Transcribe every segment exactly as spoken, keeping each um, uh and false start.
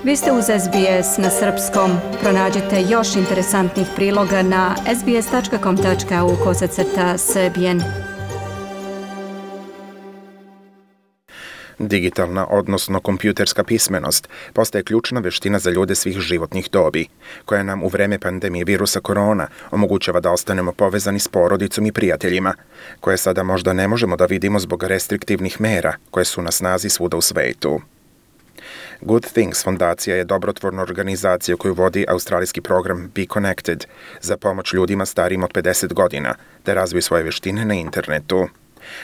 Vi ste uz S B S na srpskom. Pronađite još interesantnih priloga na sbs.com.au kosacrta srbijen. Digitalna, odnosno kompjuterska pismenost, postaje ključna veština za ljude svih životnih dobi, koja nam u vreme pandemije virusa korona omogućava da ostanemo povezani s porodicom i prijateljima, koje sada možda ne možemo da vidimo zbog restriktivnih mera koje su na snazi svuda u svetu. Good Things fondacija je dobrotvorna organizacija koju vodi australijski program Be Connected za pomoć ljudima starijim od pedeset godina da razviju svoje veštine na internetu.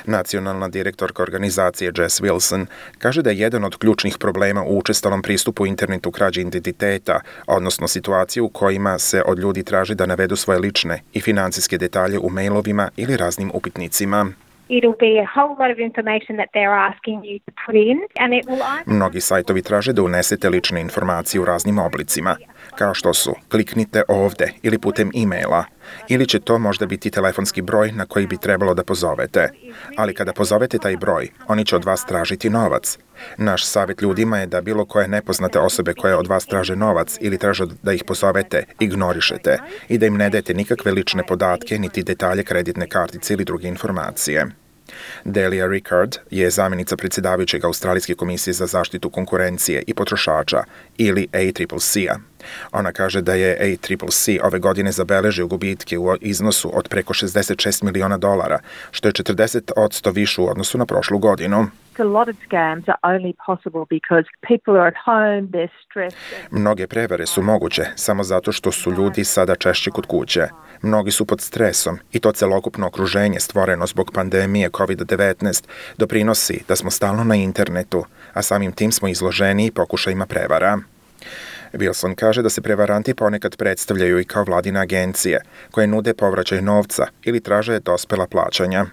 Nacionalna direktorka organizacije Jess Wilson kaže da je jedan od ključnih problema u učestalom pristupu internetu krađi identiteta, odnosno situacije u kojima se od ljudi traži da navedu svoje lične i financijske detalje u mailovima ili raznim upitnicima. It'll be a whole lot of information that they're asking you to put in, and it will either... Mnogi sajtovi traže da unesete lične informacije u raznim oblicima, kao što su kliknite ovde ili putem e-maila, ili će to možda biti telefonski broj na koji bi trebalo da pozovete. Ali kada pozovete taj broj, oni će od vas tražiti novac. Naš savjet ljudima je da bilo koje nepoznate osobe koje od vas traže novac ili traže da ih pozovete, ignorišete i da im ne dajete nikakve lične podatke, niti detalje kreditne kartice ili druge informacije. Delia Rickard je zamjenica predsjedavajućeg Australijske komisije za zaštitu konkurencije i potrošača ili A C C C-a. Ona kaže da je A C C C ove godine zabeležio gubitke u iznosu od preko šezdeset šest miliona dolara, što je četrdeset posto više u odnosu na prošlu godinu. Mnoge prevare su moguće samo zato što su ljudi sada češće kod kuće. Mnogi su pod stresom i to celokupno okruženje stvoreno zbog pandemije kovid devetnaest doprinosi da smo stalno na internetu, a samim tim smo izloženi pokušajima prevara. Wilson kaže da se prevaranti ponekad predstavljaju i kao vladine agencije, koje nude povraćaj novca ili traže dospela plaćanja.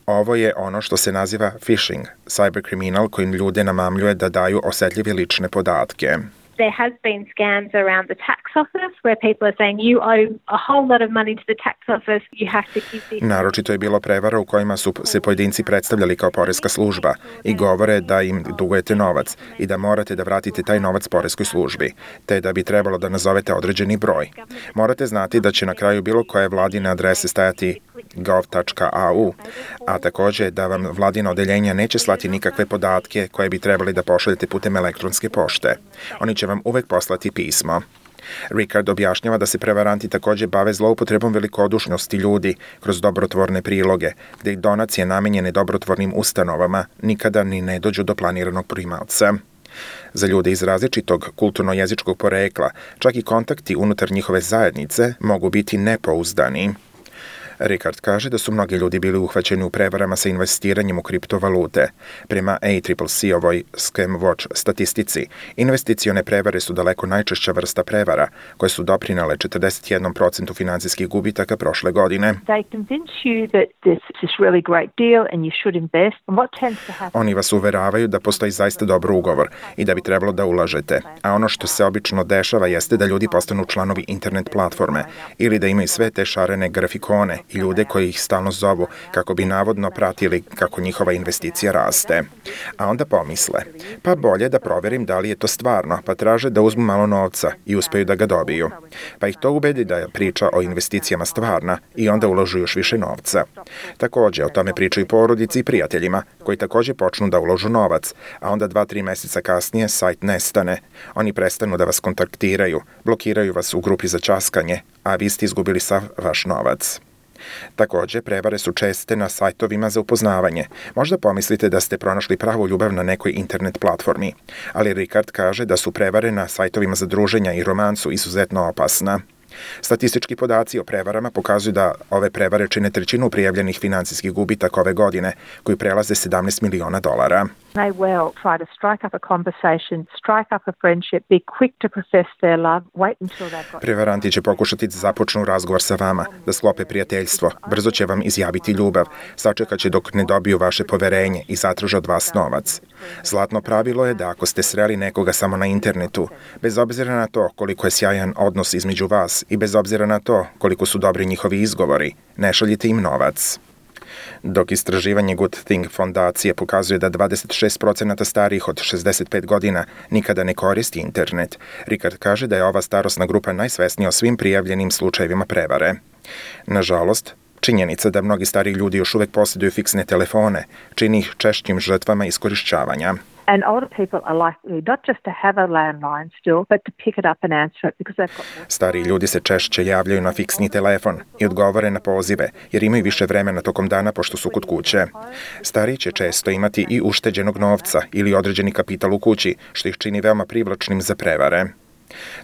Ovo je ono što se naziva phishing, cyberkriminal kojim ljude namamljuje da daju osetljive lične podatke. There has been scams around the tax office where people are saying you owe a whole lot of money to the tax office, you have to give this. Naročito je bilo prevara u kojima su se pojedinci predstavljali kao poreska služba i govore da im dugujete novac i da morate da vratite taj novac poreskoj službi, te da bi trebalo da nazovete određeni broj. Morate znati da će na kraju bilo koje vladine adrese stajati gov tačka a u, a takođe da vam vladina odeljenja neće slati nikakve podatke koje bi trebali da pošaljete putem elektronske pošte. Oni će vam uvek poslati pismo. Rickard objašnjava da se prevaranti takođe bave zloupotrebom velikodušnosti ljudi kroz dobrotvorne priloge, gde ih donacije namenjene dobrotvornim ustanovama nikada ni ne dođu do planiranog primaoca. Za ljude iz različitog kulturno-jezičkog porekla, čak i kontakti unutar njihove zajednice mogu biti nepouzdani. Rickard kaže da su mnogi ljudi bili uhvaćeni u prevarama sa investiranjem u kriptovalute. Prema A C C C-ovoj Scam Watch statistici, investicione prevare su daleko najčešća vrsta prevara, koje su doprinale četrdeset jedan posto finansijskih gubitaka prošle godine. Oni vas uveravaju da postoji zaista dobar ugovor i da bi trebalo da ulažete, a ono što se obično dešava jeste da ljudi postanu članovi internet platforme ili da imaju sve te šarene grafikone i ljude koji ih stalno zovu kako bi navodno pratili kako njihova investicija raste. A onda pomisle, pa bolje da proverim da li je to stvarno, pa traže da uzmu malo novca i uspeju da ga dobiju. Pa ih to ubedi da je priča o investicijama stvarna i onda uložu još više novca. Takođe, o tome pričaju porodici i prijateljima, koji takođe počnu da uložu novac, a onda dva, tri meseca kasnije sajt nestane. Oni prestanu da vas kontaktiraju, blokiraju vas u grupi za ćaskanje, a vi ste izgubili sav vaš novac. Takođe, prevare su česte na sajtovima za upoznavanje. Možda pomislite da ste pronašli pravu ljubav na nekoj internet platformi, ali Rickard kaže da su prevare na sajtovima za druženja i romansu izuzetno opasna. Statistički podaci o prevarama pokazuju da ove prevare čine trećinu prijavljenih finansijskih gubitaka ove godine, koji prelaze sedamnaest miliona dolara. May well try to strike up a conversation, strike up a friendship, be quick to profess their love, wait until they've got... Prevaranti će pokušati da započnu razgovor sa vama, da sklope prijateljstvo, brzo će vam izjaviti ljubav, sačekat će dok ne dobiju vaše poverenje i zatraže od vas novac. Zlatno pravilo je da ako ste sreli nekoga samo na internetu, bez obzira na to koliko je sjajan odnos između vas i bez obzira na to koliko su dobri njihovi izgovori, ne šaljite im novac. Dok istraživanje Good Thing fondacije pokazuje da dvadeset šest procenata starijih od šezdeset pet godina nikada ne koristi internet, Ricard kaže da je ova starosna grupa najsvesnija o svim prijavljenim slučajevima prevare. Nažalost, činjenica da mnogi stariji ljudi još uvek posjeduju fiksne telefone čini ih češćim žrtvama iskorišćavanja. And older people are likely not just to have a landline still, but to pick it up and answer it because they've got more... Stariji ljudi se češće javljaju na fiksni telefon i odgovore na pozive, jer imaju više vremena tokom dana pošto su kod kuće. Stariji će često imati i ušteđenog novca ili određeni kapital u kući, što ih čini veoma privlačnim za prevare.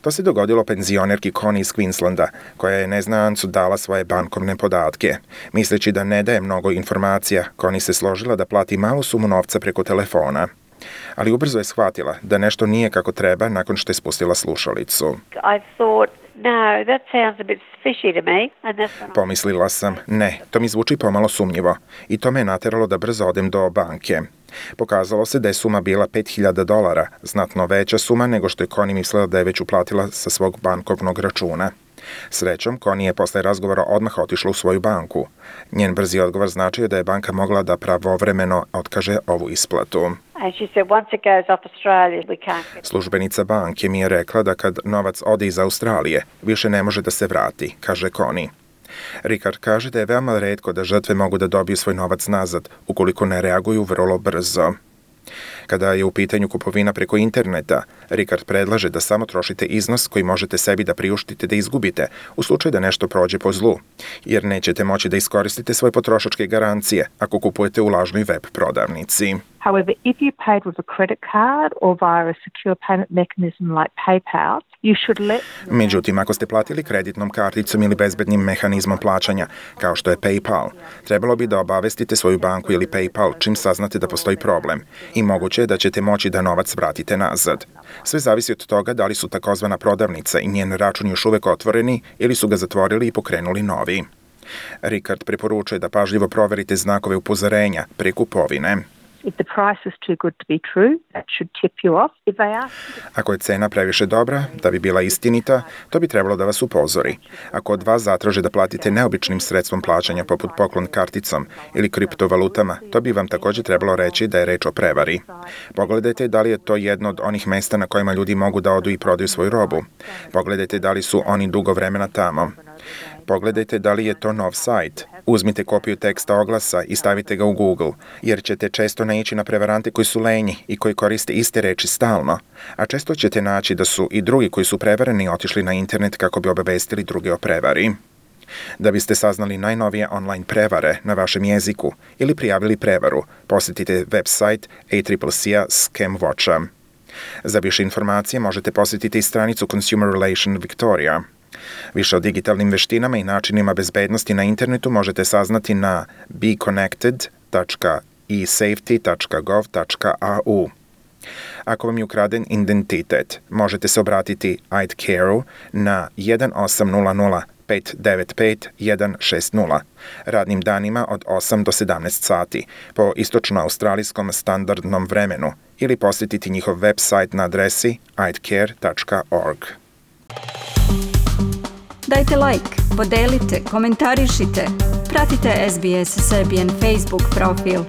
To se dogodilo penzionerki Connie iz Queenslanda, koja je neznancu dala svoje bankovne podatke. Misleći da ne daje mnogo informacija, Connie se složila da plati malu sumu novca preko telefona. Ali ubrzo je shvatila da nešto nije kako treba nakon što je spustila slušalicu. Pomislila sam, ne, to mi zvuči pomalo sumnjivo i to me je nateralo da brzo odem do banke. Pokazalo se da je suma bila pet hiljada dolara, znatno veća suma nego što je Connie mislila da je već uplatila sa svog bankovnog računa. Srećom, Connie je posle razgovora odmah otišla u svoju banku. Njen brzi odgovor značio da je banka mogla da pravovremeno otkaže ovu isplatu. Službenica banke mi je rekla da kad novac ode iz Australije, više ne može da se vrati, kaže Connie. Ricard kaže da je veoma retko da žrtve mogu da dobiju svoj novac nazad, ukoliko ne reaguju vrlo brzo. Kada je u pitanju kupovina preko interneta, Ricard predlaže da samo trošite iznos koji možete sebi da priuštite da izgubite u slučaju da nešto prođe po zlu, jer nećete moći da iskoristite svoje potrošačke garancije ako kupujete u lažnoj web prodavnici. However, if you paid with a credit card or via a secure payment mechanism like PayPal, you should let... Međutim, ako ste platili kreditnom karticom ili bezbednim mehanizmom plaćanja, kao što je PayPal, trebalo bi da obavestite svoju banku ili PayPal čim saznate da postoji problem i moguće je da ćete moći da novac vratite nazad. Sve zavisi od toga da li su takozvana prodavnica i njen račun još uvek otvoreni ili su ga zatvorili i pokrenuli novi. Ricard preporučuje da pažljivo proverite znakove upozorenja pre kupovine. If the price is too good to be true, that should tip you off. If they ask... Ako je cena previše dobra, da bi bila istinita, to bi trebalo da vas upozori. Ako od vas zatraže da platite neobičnim sredstvom plaćanja poput poklon karticom ili kriptovalutama, to bi vam također trebalo reći da je reč o prevari. Pogledajte da li je to jedno od onih mesta na kojima ljudi mogu da odu i prodaju svoju robu. Pogledajte da li su oni dugo vremena tamo. Pogledajte da li je to nov sajt. Uzmite kopiju teksta oglasa i stavite ga u Google, jer ćete često naići na prevarante koji su lenji i koji koriste iste reči stalno, a često ćete naći da su i drugi koji su prevareni otišli na internet kako bi obavestili druge o prevari. Da biste saznali najnovije online prevare na vašem jeziku ili prijavili prevaru, posjetite website A C C C-a Scam Watcha. Za više informacije možete posjetiti i stranicu Consumer Relation Victoria. Više o digitalnim veštinama i načinima bezbednosti na internetu možete saznati na be connected dot e safety dot gov dot a u. Ako vam je ukraden identitet, možete se obratiti I D Care-u na jedan osam nula nula pet devet pet jedan šest nula radnim danima od osam do sedamnaest sati po istočno-australijskom standardnom vremenu ili posjetiti njihov website na adresi i d care dot org. Dajte like, podelite, komentarišite, pratite S B S Serbian Facebook profil.